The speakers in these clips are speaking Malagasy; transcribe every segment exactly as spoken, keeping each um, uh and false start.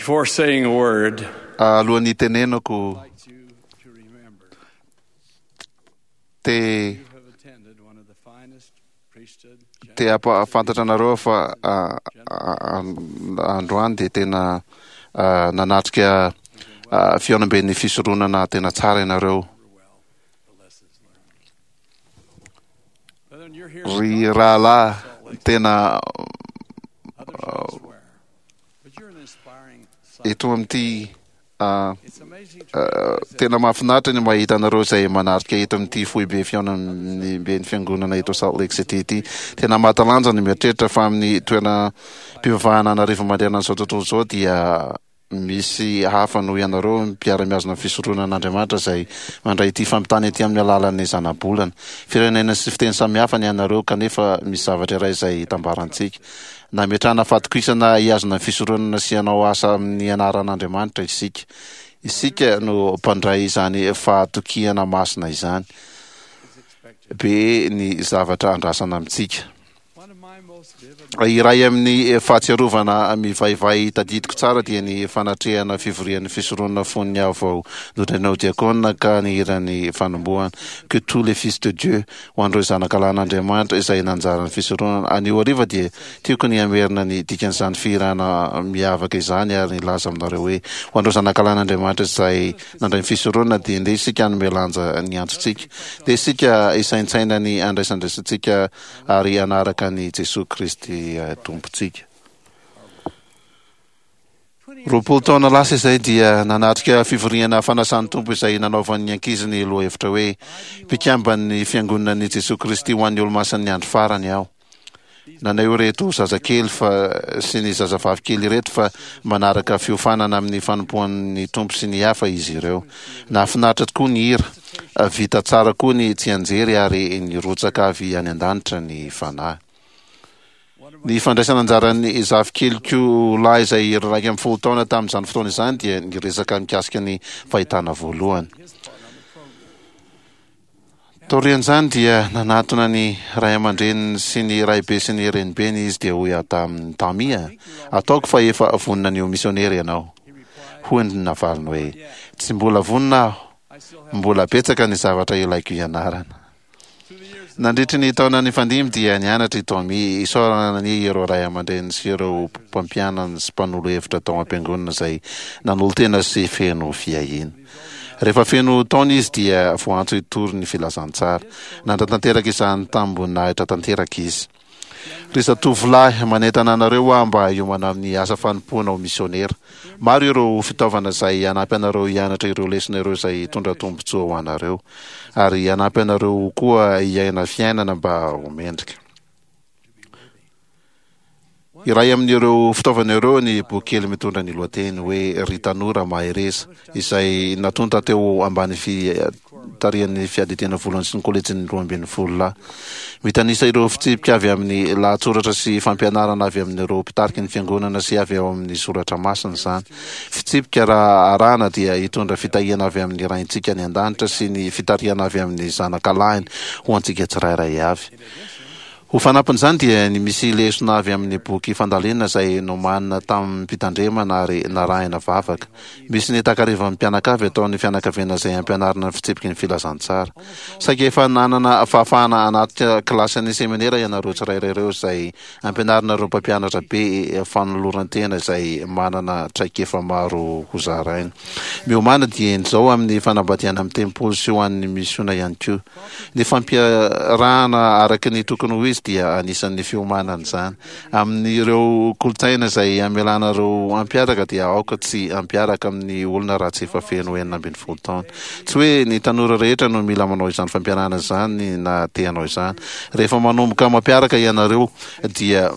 Before saying a word, Alohan'ny hitenenako I'd like you to remember te you have attended one of the finest priesthood te hampahafantatra anareo fa ah, ah, androany dia tena ah, nanatrika ah, fihaonamben'ny fisoronana tena tsara ianareo. well the lessons learned. Brethren, you're here Ry rahalahy, tena others elsewhere, but you're an inspiring sight. eto amin'ity ah, It's amazing to ah, realize that tena mahafinaritra ny mahita anareo izay manatrika eto amin'ity foibe fihaonamben'ny fiangonana eto Salt Lake City ity. Tena mahatalanja ny mieritreritra fa amin'ny toeram-pivavahana anarivo manerana an'izao tontolo izao dia misy hafa noho ianareo mpiara-mihazona ny fisoronan'Andriamanitra izay mandray ity fampitana ity amin'ny alalan'ny zanabolana. Firenena sy fiteny samihafa ny anareo kanefa misy zavatra iray izay itambarantsika. Nametrahana fahatokisana hihazona ny fisoronana sy hanao asa amin'ny anaran'Andriamanitra isika. Isika no mpandray izany fahatokiana masina izany. is expected. Be ny zavatra andrasana amintsika. One of my most vivid Iray amin'ny fahatsiarovana mivaivay tadidiko tsara dia ny fanatrehana fivorian'ny fisoronana fony aho vao notendrena ho diakona ka nihira ny fanombohana "Que tous les fils de Dieu" ho an'ireo zanakalahin'Andriamanitra izay nanjaran'ny fisoronana. Anio hariva dia tiako ny hamerina ny dikan'izany fihirana miavaka izany ary nilaza aminareo hoe ho an'ireo zanakalahin'Andriamanitra izay nandray ny fisoronana dia ndeha isika hanome lanja ny antsontsika. Ndeha isika hisaintsaina ny andraisandraisantsika ary hanaraka ny Jesoa Kristy eh, Tompontsika. Roapolo taona lasa izay dia nanatrika fivoriana fanasan'ny Tompo izay nanaovan'ny ankizy ny lohahevitra hoe "Mpikamban'ny fiangonan'i Jesoa Kristy ho an'ny olomasin'ny andro farany aho". Naneho ireto zazakely fa sy ny zazavavy kely ireto fa manaraka fiofanana amin'ny fanompoan'ny Tompo sy ny hafa izy ireo. Nahafinaritra tokoa ny hira, vita tsara koa ny tsianjery ary nirotsaka avy any an-danitra ny fanahy. Ny fandraisana anjaran'ny zafikeliko lahy izay iraika ambin'ny folo taona tamin'izany fotoana izany dia niresaka mikasika ny fahitana voalohany. Taorian'izany dia nanatona ny ray aman-dreniny sy ny raibe sy ny renibeny izy dia hoy aho taminy: "Tommy a, ataoko fa efa vonona ny ho misionera ianao." Hoy ny navaliny hoe: "Tsy mbola vonona aho, mbola betsaka ny zavatra ilaiko hianarana." Nandritry ny taona nifandimby dia nianatra i Tommy. Isaorana ny ireo ray aman-dreny sy ireo mpampianany sy mpanolo hevitra tao am-piangonana izay nanolo-tena sy feno fiahiana. Rehefa feno taona izy dia voantso hitory ny filazantsara. Nanatanteraka izany tamim-boninahitra tanteraka izy. Ry zatovolahy, manentana anareo aho mba hiomana amin'ny asa fanompoana ho misionera. Maro ireo fitaovana izay hanampy anareo hianatra ireo lesona ireo izay hitondra tombontsoa ho anareo ary hanampy anareo koa hiaina fiainana mba ho mendrika. Iray amin'ireo fitaovana ireo ny boky kely mitondra ny lohateny hoe "Ry tanora mahereza" izay natonta teo ambany fitarihan'ny fiadidiana voalohany sy ny kolejin'ny roa ambin'ny folo lahy. Mitanisa ireo fitsipika avy amin'ny lahatsoratra sy fampianarana avy amin'ireo mpitariky ny fiangonana sy avy ao amin'ny soratra masina izany. Fitsipika raha arahana dia hitondra fitahiana avy amin'ny Raintsika any an-danitra sy ny fitarihana avy amin'ny zanakalahiny ho antsika tsirairay avy. Ho fanampin'izany dia ny misy lesona avy amin'ny boky fandalinana izay nomanina tamim-pitandremana ary narahina vavaka. Misy ny takarivan'ny mpianakavy ataon'ny fianakaviana izay ampianarina ny fitsipiky ny filazantsara. Saika efa nanana fahafahana hanatrika kilasin'ny seminera ianareo tsirairay ireo izay ampianarina ireo mpampianatra be fanoloran-tena izay manana traikefa maro ho zaraina. Miomàna dieny izao amin'ny fanambadiana amin'ny tempoly sy ho an'ny misiona ihany koa. Ny fampiarahana araka ny tokony ho izy dia anisan'ny fiomanana izany. Amin'ireo kolontsaina izay amelanareo hampiaraka dia aoka tsy hampiaraka amin'ny olona raha tsy efa feno enina ambin'ny folo taona. Tsy hoe ny tanora rehetra no mila manao izany fampiarahana izany na te hanao izany. Rehefa manomboka mampiaraka ianareo dia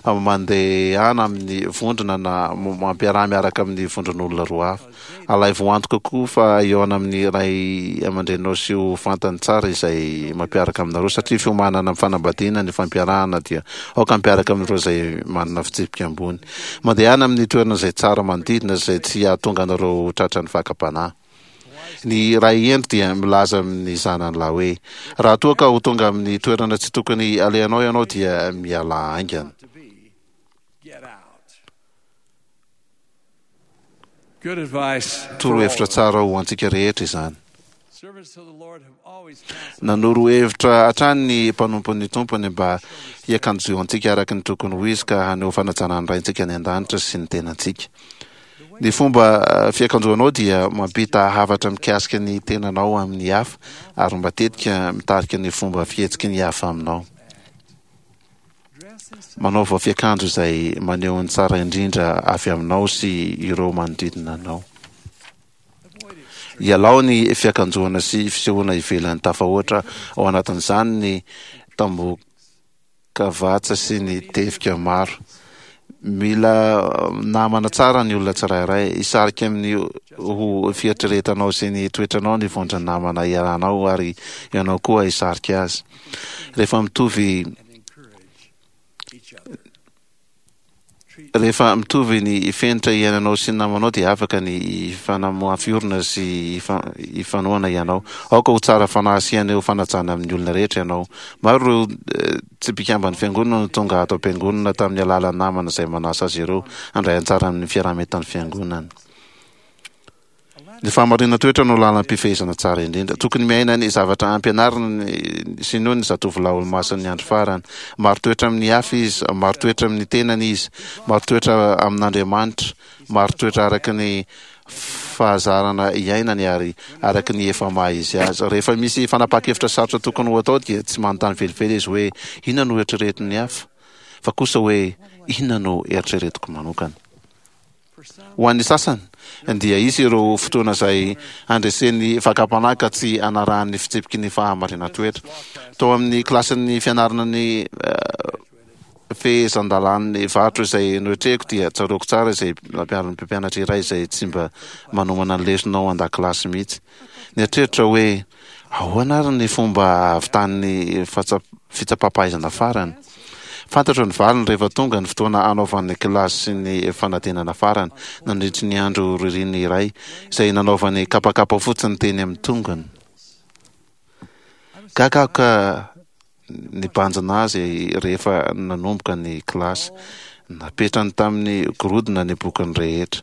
mandehana amin'ny vondrona na mampiaraha miaraka amin'ny vondron'olona roa hafa. Alaivo antoka koa fa hihaona amin'ny ray aman-dreninao sy ho fantany tsara izay mampiaraka aminareo satria fiomanana amin'ny fanambadiana ny fampiarahana dia aoka hampiaraka amin'ireo izay manana fitsipika ambony. Mandehana amin'ny toerana izay tsara manodidina izay tsy hahatonga anareo ho tratran'ny fakam-panahy. Ny ray hendry dia milaza amin'ny zanany lahy hoe: "Raha toa ka ho tonga amin'ny toerana tsy tokony alehanao ianao dia mialà haingana." to be, get out. Good advice for all Torohevitra of us. tsara ho antsika rehetra izany. Servants of the Lord have always counseled Nanoro hevitra hatrany ny mpanompon'ny Tompony mba hiakanjoantsika araka ny tokony ho izy ka haneho fanajana ny Raintsika any an-danitra sy ny tenantsika. Ny fomba eh, fiakanjoanao dia mampita hafatra mikasika ny tenanao amin'ny hafa ary matetika mitarika ny fomba fihetsiky ny hafa aminao. dress in such Manaova fiakanjo izay maneho ny tsara indrindra avy aminao sy ireo manodidina anao. avoid extreme Ialao ny fiakanjoana sy fisehoana ivelany tafahoatra, ao anatin'izany ny tambokavatsa sy ny tevika maro. Mila eh, namana tsara ny olona tsirairay. Hisarika amin'ny ho fieritreretanao sy ny toetranao ny vondron'ny namana iarahanao ary ianao koa hisarika azy. Rehefa mitovy and encourage each other. Treat rehefa mitovy ny fenitra iainanao sy ny namanao dia afaka ny hifanamafy orina sy hifa- hifanohana ianao. Aoka ho tsara fanahy sy haneho fanajana amin'ny olona rehetra ianao. Maro ireo eh, tsy mpikamban'ny fiangonana no tonga ato am-piangonana tamin'ny alalan'ny namana izay manasa azy ireo handray anjara amin'ny fiaraha-mientan'ny fiangonana. Ny fahamarinan-toetra no lalam-pifehezana tsara indrindra. Tokony miaina ny zavatra ampianarina ny- sy noho ny zatovolahy olomasin'ny andro farany. Maro toetra amin'ny hafa izy, maro toetra amin'ny tenany izy, maro toetra amin'Andriamanitra, maro toetra araka ny fahazarana iainany ary araka ny efa maha izy azy. Rehefa misy fanapahan-kevitra sarotra tokony ho atao dia tsy manontany velively izy hoe inona no eritreretin'ny hafa, fa kosa hoe inona no eritreretiko manokana. for some Ho an'ny sasany dia hisy ireo fotoana izay handresen'ny fakam-panahy ka tsy hanarahan'ny fitsipiky ny fahamarinan-toetra. Tao amin'ny kilasin'ny fianarana ny eh, fehezan-dalàn'ny varotra izay noetrehiko dia tsaroako tsara izay nampianarin'ny mpampianatra iray izay tsy mba manomana ny lesona ao an-dakilasy mihitsy. Nieritreritra hoe ahoana ary ny fomba ahavitan'ny fatsa- fitsapam-pahaizana farany. Fantatro ny valiny rehefa tonga ny fotoana hanaovan'ny kilasy sy ny fanadinana farany nandritry ny andro ririnina iray izay nanaovany kapakapa fotsiny teny amin'ny tongony. Gaga aho ka nibanjina azy rehefa nanomboka ny kilasy. Napetrany tamin'ny gorodona ny bokiny rehetra.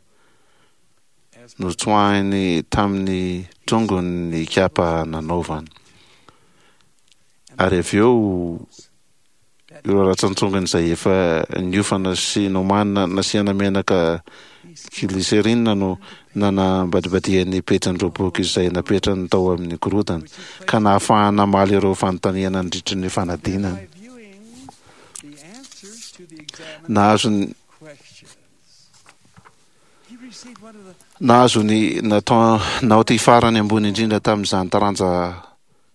as Notsoahiny tamin'ny tongony ny kapa nanaovany. Ary avy eo ireo ratsan-tongony izay efa niofana sy nomanina nasiana menaka glycérine no nanambadibadian'ny pejin'ireo boky izay napetrany tao amin'ny gorodona ka nahafahana namaly ireo fanontaniana nandritry ny fanadinana. by viewing the answers to the Nahazo examination ny questions. He received one of the nahazo ny natao naoty farany ambony indrindra tamin'izany taranja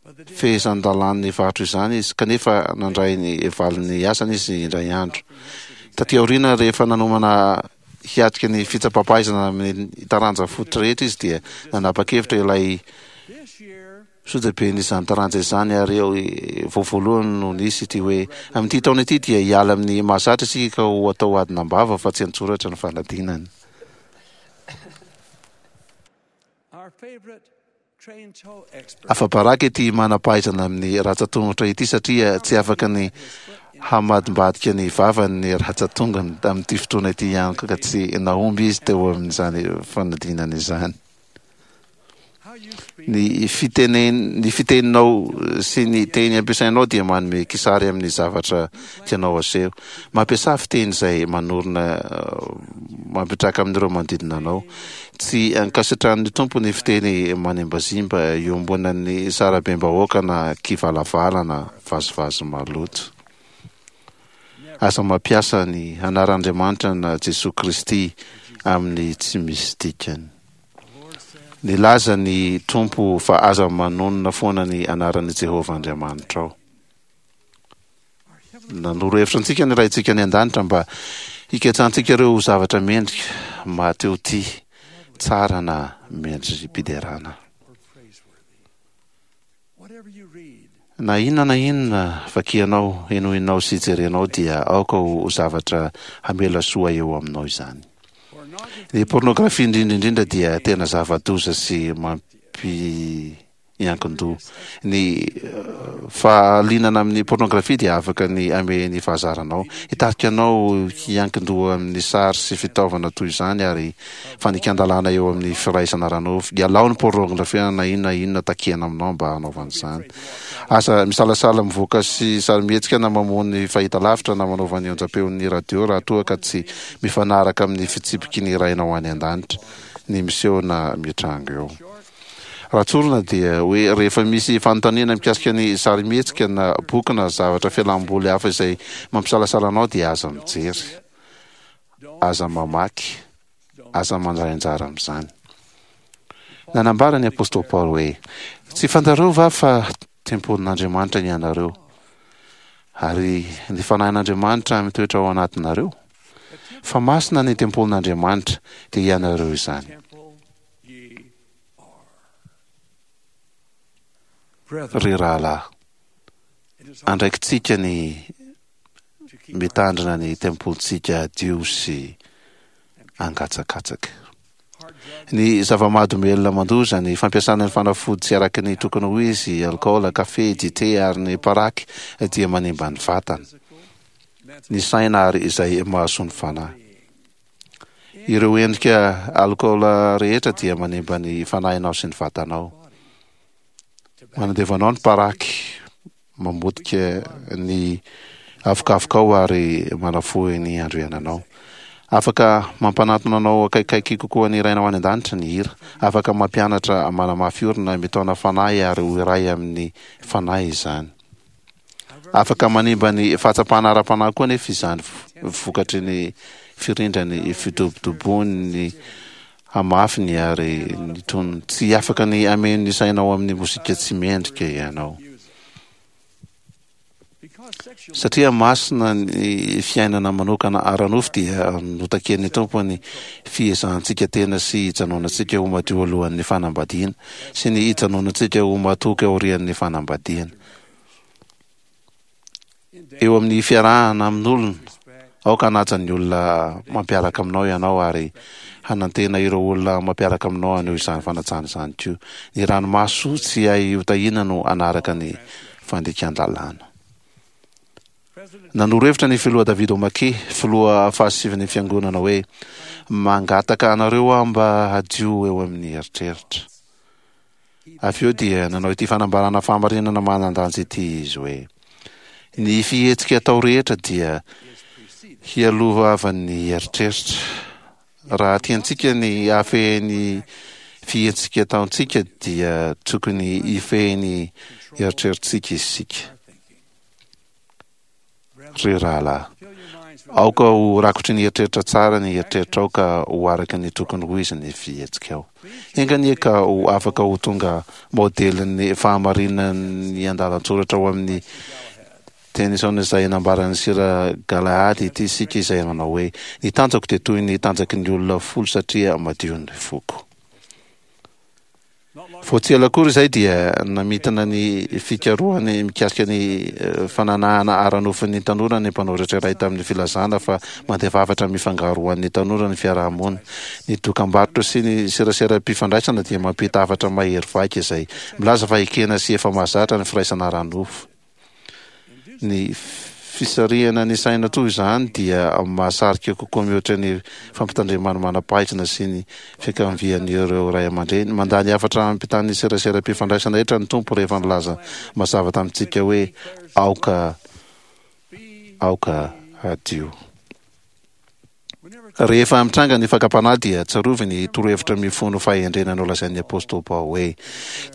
but the day fehezan-dalàn'ny varotra izany izy, kanefa nandray ny valin'ny asany izy indray andro. Taty aoriana, rehefa nanomana hiatrika ny fitsapam-pahaizana amin'ny taranja fototra rehetra izy dia nanapa-kevitra ilay this year sojaben'izany taranja izany ary eo vao voalohany no nisy ity hoe amin'ity taona ity dia hiala amin'ny mahazatra isika ka ho atao adina am-bava fa tsy an-tsoratra ny fanadinana. our favorite trained toe expert Afa-baraka ity manam-pahaizana amin'ny ratsan-tongotra ity satria tsy afaka ny hamadimbadika ny vavany ny ratsan-tongony tamin'ity fotoana ity ihany koa ka tsy nahomby izy teo amin'izany fanadinana izany. how you speak Ny fitenen ny fiteninao sy ny teny ampiasainao dia manome kisary amin'ny zavatra tianao aseho. Mampiasa fiteny izay manorina eh, mampitraka amin'ireo manodidina anao. Tsy ankasitrahan'ny Tompo ny fiteny manimbazimba iombonan'ny sarabem-bahoaka na kivalavala na vazivazy maloto. Aza mampiasa ny anaran'Andriamanitra na Jesoa Kristy amin'ny tsy misy dikany. the Lord said Nilaza ny Tompo fa aza manonona foana ny anaran'i Jehovah Andriamanitrao. our heavenly Nanoro hevitra antsika ny Raintsika any an-danitra mba hiketsantsika ireo zavatra mendrika maha-te ho tia, tsara na mendri-piderana. or praiseworthy. Whatever you read, Na inona na inona vakianao, henoinao sy jerenao dia aoka ho zavatra hamela soa eo aminao izany. pornography Ny pornografia indrindra indrindra dia tena zava-doza sy mampihemotra hiankin-doha. Ny fahalianana amin'ny pornografia dia afaka ny hamehy ny fahazaranao, hitarika anao hiankin-doha amin'ny sary sy fitaovana toy izany ary fandikan-dalàna eo amin'ny firaisana ara-nofo. Ialao ny pornografia na inona na inona takiana aminao mba hanaovana izany. Aza misalasala mivoaka sy sarimihetsika na mamono ny fahitalavitra na manaova ny onjam-peon'ny radio raha toa ka tsy mifanaraka amin'ny fitsipiky ny Rainao any an-danitra ny miseho na mitranga eo. Raha tsorina dia hoe rehefa misy fanontaniana mikasika ny sarimihetsika na boky na zavatra fialam-boly hafa izay mampisalasala anao dia aza mijery, aza mamaky, aza mandray anjara amin'izany. Nanambara ny apostoly Paoly hoe, Tsy fantareo va fa tempolin'Andriamanitra ianareo, ary ny Fanahin'Andriamanitra mitoetra ao anatinareo? Fa masina ny tempolin'Andriamanitra, dia ianareo izany. Ry rahalahy, andraikitsika ny mitandrina ny tempolintsika hadio sy hangatsakatsaka. Ny zava-mahadomelina mandoza, ny fampiasana ny fanafody tsy araka ny tokony ho izy, alikaola, kafe, dite ary ny paraky dia manimba ny vatana, ny saina ary izay mahasoa ny fanahy. Ireo endrika alikaola rehetra dia manimba ny fanahinao sy ny vatanao. Manandevo anao ny paraky, mamotika ny avokavokao ary manafohy ny andro iainanao. Afaka mampanatona anao akaikikaiky kokoa ny Rainao any An-danitra ny hira. Afaka mampianatra, manamafy orina, mitaona fanahy ary ho iray amin'ny fanahy izany. Afaka manimba ny fahatsapana ara-panahy koa anefa izany vokatry ny firindran'ny fidobodoboan'ny hamafiny ary ny tonony. Tsy afaka ny hameno ny sainao amin'ny mozika tsy mendrika ianao. Satria masina ny fiainana manokana ara-nofo dia notakian'ny Tompo ny fiezahantsika tena sy hijanonantsika ho madio alohan'ny fanambadiana sy ny hijanonantsika ho matoky aorian'ny fanambadiana. Eo amin'ny fiarahana amin'olona, aoka hanaja ny olona mampiaraka aminao ianao ary hanantena ireo olona mampiaraka aminao haneho izany fanajana izany koa. Ny ranomaso tsy hay hotahiana no hanaraka ny fandikan-dalàna. Nanoro hevitra ny Filoha David O. McKay, filoha fahasivin'ny Fiangonana hoe, Mangataka anareo aho mba hadio eo amin'ny eritreritra. Avy eo dia nanao ity fanambarana fahamarinana manan-danja ity izy hoe, Ny fihetsika atao rehetra dia hialohavan'ny eritreritra. Raha tiantsika ny hahafehy ny fihetsika ataontsika dia tokony hifehy ny eritreritsika isika. Ry rahalahy, aoka ho rakotry ny eritreritra tsara ny eritreritrao ka ho araka ny tokony ho izy ny fihetsikao. Enga anie ka ho afaka ho tonga maodelin'ny fahamarinan'ny andalan-tsoratra ao amin'ny Tennyson izay nambaran'i Sir Galahad ity isika izay nanao hoe, Ny tanjako dia toy ny tanjaky ny olona folo satria madio ny foko. Vao tsy ela akory izay dia namintina ny fikarohany mikasika ny fananahana ara-nofon'ny tanora ny mpanoratra iray tamin'ny filazana fa mandefa hafatra mifangaro ho an'ny tanora ny fiaraha-monina. Ny dokambarotra sy ny seraseram-pifandraisana dia mampita hafatra mahery vaika izay milaza fa ekena sy efa mahazatra ny firaisana ara-nofo. Ny fisarihana ny saina toy izany dia mahasarika kokoa mihoatra ny fampitandreman'ny manam-pahaizana sy ny fiankavian'ireo ray aman-dreny. Mandà ny hafatra ampitan'ny seraseram-pifandraisana rehetra ny Tompo rehefa nilaza mazava tamintsika hoe, Aoka, aoka hadio. Rehefa mitranga ny fakam-panahy dia tsarovy ny torohevitra mifono fahendrena nolazain'ny apostoly Paoly hoe,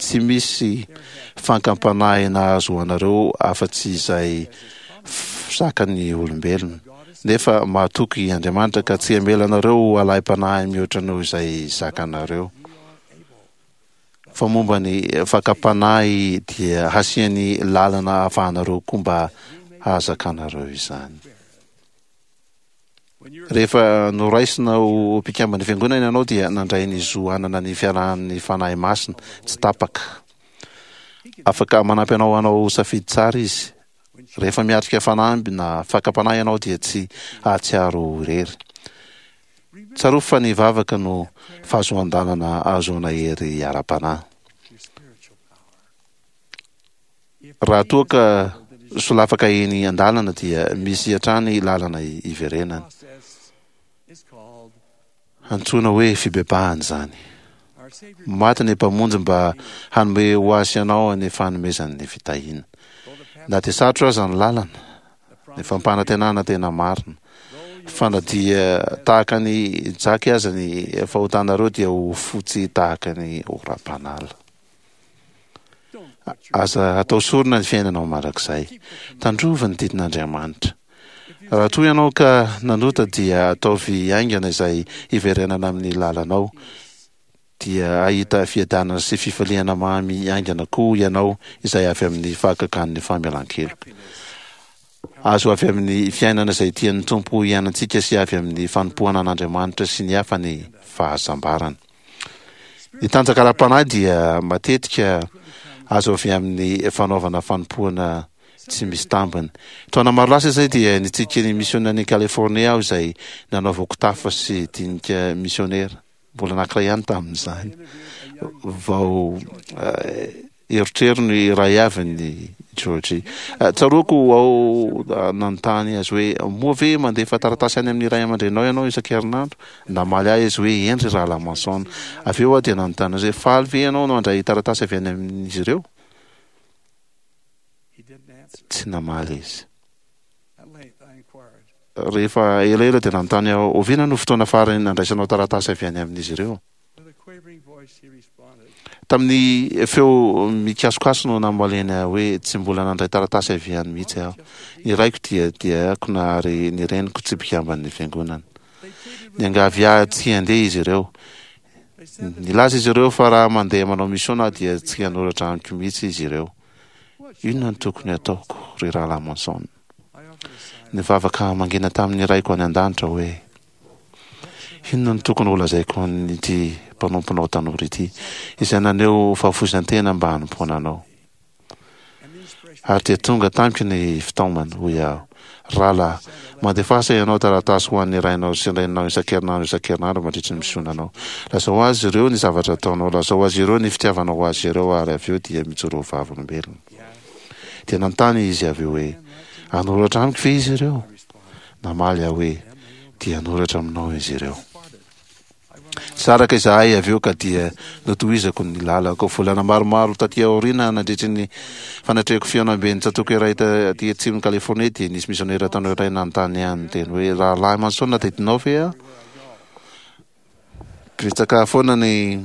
Tsy misy fankam-panahy nahazo ho anareo afa-tsy izay zakan'ny olombelona. Nefa mahatoky Andriamanitra ka tsy hamela anareo ho alaim-panahy mihoatra noho izay zakanareo. Fa momba ny fakam-panahy dia hasiany lalana ahafahanareo koa mba hahazakanareo izany. Rehefa noraisina ho mpikamban'ny Fiangonana ianao dia nandray ny zo hanana ny fiarahan'ny Fanahy Masina tsy tapaka. Afaka manampy anao hanao safidy tsara Izy. Rehefa miatrika fanamby na fakam-panahy ianao dia tsy hahatsiaro ho irery. Tsarovy fa ny vavaka no fahazoan-dalana ahazoana hery ara-panahy. Raha toa ka solafaka eny an-dalana dia misy hatrany lalana iverenana. Antsoina hoe fibebahana izany. Maty ny Mpamonjy mba hanome ho azy ianao ny fanomezan'ny fitahiana. Na dia sarotra aza ny lalana, ny fampanantenana tena marina. Fa na dia tahaka ny jaky aza ny fahotanareo dia ho fotsy tahaka ny oram-panala. Aza atao sorona ny fiainanao mandrakizay. Tandrovy ny didin'Andriamanitra. Raha toa ianao ka nanota dia ataovy haingana izay hiverenana amin'ny lalanao. Dia hahita fiadanana sy fifaliana mamy haingana koa ianao izay avy amin'ny fahagagan'ny famelan-keloka. Azo avy amin'ny fiainana izay tian'ny Tompo hiainantsika sy avy amin'ny fanompoana an'Andriamanitra sy ny hafa ny fahasambarana. Ny tanjaka ara-panahy dia matetika azo avy amin'ny fanaovana fanompoana tsy misy tambiny. Taona maro lasa izay dia nitsidika ny misionan'i Californie aho izay nanaovako tafa sy dinika misionera. Mbola anankiray ihany tamin'izany. Vao erotrerony iray avy ny Georgie. Tsaroako aho nanontany azy hoe moa ve mandefa taratasy any amin'ny ray aman-dreninao ianao isan-kerinandro? Namaly ahy izy hoe eny ry rahalahy Manson. Avy eo aho dia nanontany azy hoe faly ve ianao no handray taratasy avy any amin'izy ireo? Tsy namaly izy. Rehefa elaela dia nanontany aho, oviana no fotoana farany nandraisanao taratasy avy any amin'izy ireo? Tamin'ny feo mikasokaso no namaliany ahy hoe tsy mbola nandray taratasy avy any mihitsy aho. Ny raiko dia diakona ary ny reniko tsy mpikamban'ny fiangonana. Niangavy ahy tsy handeha izy ireo. Nilaza izy ireo fa raha mandeha manao misiona aho dia tsy hanoratra amiko mihitsy izy ireo. Inona no tokony hataoko, ry rahalahy Monson? Nivavaka mangina tamin'ny raiko any an-danitra hoe, inona no tokony holazaiko an'ity mpanomponao tanora ity, izay naneho fahafoizan-tena mba hanompoana anao? Ary dia tonga tamiko ny fitaomana, hoy aho, rahalahy, mandefasa ianao taratasy ho an'ny rainao sy ny reninao isan-kerinandro isan-kerinandro mandritry ny misionanao. Lazao azy ireo ny zavatra ataonao, lazao azy ireo ny fitiavanao ho azy ireo, ary avy eo dia mijoroa ho vavolombelona. Dia nanontany izy avy eo hoe, hanoratra amiko ve izy ireo? Namaly aho hoe, dia hanoratra aminao izy ireo. Saraka izahay avy eo ka dia notohizako ny lalako. Volana maromaro taty aoriana, nandritry ny fanatrehako fihaonamben'ny tsatòka iray taty atsimon'i Californie, dia nisy misionera tanora iray nanontany ahy niteny hoe, Rahalahy Manson, tadidinao ve aho? Betsaka foana ny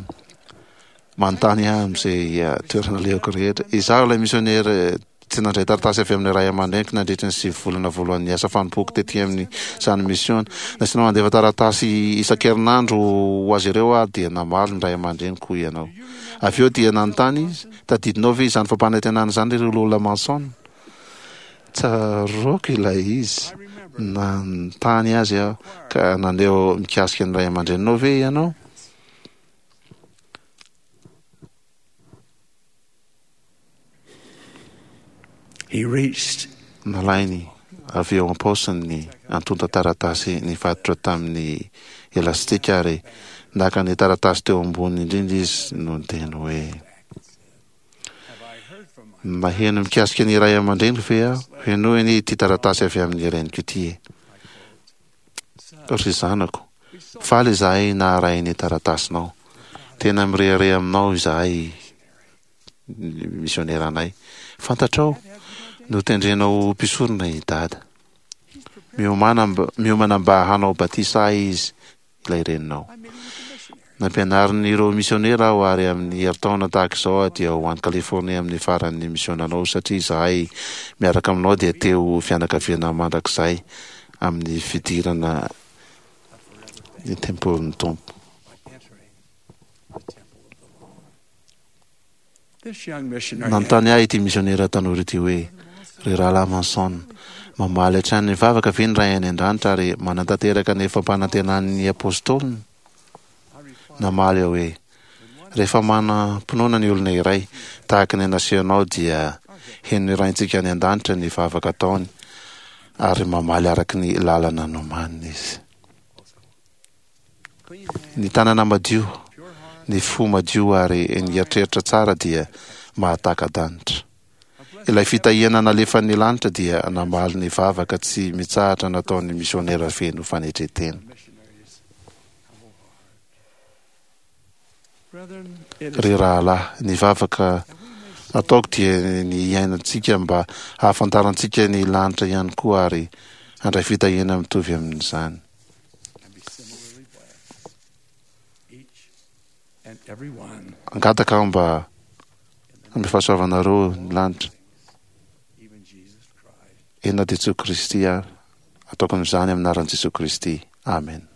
manontany ahy amin'izay toerana alehako rehetra. Izaho ilay misionera tsy nandray taratasy avy amin'ny ray aman-dreniko nandritry ny sivy volana voalohan'ny asa fanompoako tety amin'izany misiona. Nasiana mandefa taratasy isan-kerinandro ho azy ireo aho dia namaly ny ray aman-dreniko hoy ianao. Avy eo dia nanontany izy, tadidinao ve izany fampanantenana izany ry Lola Manson? Tsaroako ilay izy. Nanontany azy aho ka naneho mikasika ny ray aman-dreninao ve ianao? He reached Nalainy avy eo am-paosiny ny antontan-taratasy nifatotra tamin'ny elastika ary naka ny taratasy teo ambony indrindra izy no niteny hoe, Naheno mikasika ny ray aman-dreniko ve aho? Henoy anie ity taratasy avy amin'ny reniko ity e. Ry zanako, faly izahay naharay ny taratasinao. Tena mirehareha aminao izahay misioneranay. Fantatrao, notendrena ho mpisorona i Dada. Miomana miomana mba hanao batisa ahy izy, ilay reninao. Nampianarin'ireo misionera aho ary amin'ny herintaona tahaka izao aho dia ho any Californie amin'ny faran'ny misionanao satria izahay miaraka aminao dia te ho fianakaviana mandrakizay amin'ny fidirana ny tempolin'ny Tompo. This young missionary Nanontany ahy ity misionera tanora ity hoe, Ry rahalahy Manson, mamaly hatrany ny vavaka ve ny Ray any an-danitra ary manatanteraka ny fampanantenan'ny apôstôliny? Namaly aho hoe, Rehefa manam-pinoana ny olona iray, tahaka ny nasehonao dia henon'ny Raintsika any an-danitra ny vavaka ataony ary mamaly araka ny lalana nomaniny izy. Ny tanana madio, ny fo madio ary ny eritreritra tsara dia mahataka-danitra. Ilay fitahiana nalefan'ny lanitra dia namaly ny vavaka tsy mitsahatra nataon'ny misionera feno fanetren-tena. Ry rahalahy, ny vavaka ataoko dia ny hiainantsika mba hahafantarantsika ny lanitra ihany koa ary handray fitahiana mitovy amin'izany. Angataka aho mba hanome fahasoavanareo ny lanitra. Eny na dia Jesoa Kristy ary. Ataoko amin'izany amin'ny anaran'i Jesoa Kristy. Amen.